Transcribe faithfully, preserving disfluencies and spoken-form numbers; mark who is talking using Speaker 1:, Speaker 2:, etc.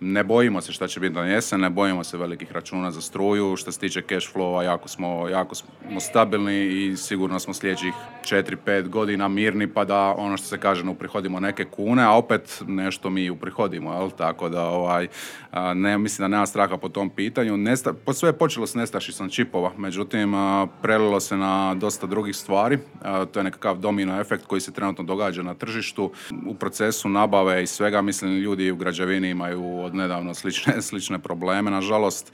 Speaker 1: ne bojimo se šta će biti na jesen, ne bojimo se velikih računa za struju. Što se tiče cash flowa, jako smo, jako smo stabilni i sigurno smo sljedećih četiri pet godina mirni, pa da ono što se kaže ne uprihodimo neke kune, a opet nešto mi uprihodimo, jel? Tako da ovaj, ne, mislim da nema straha po tom pitanju. Nesta, sve je počelo s nestašicom čipova, međutim prelilo se na dosta drugih stvari. To je nekakav domino efekt koji se trenutno događa na tržištu. U procesu nabave i svega, mislim, ljudi u građevini imaju od nedavno slične, slične probleme, nažalost.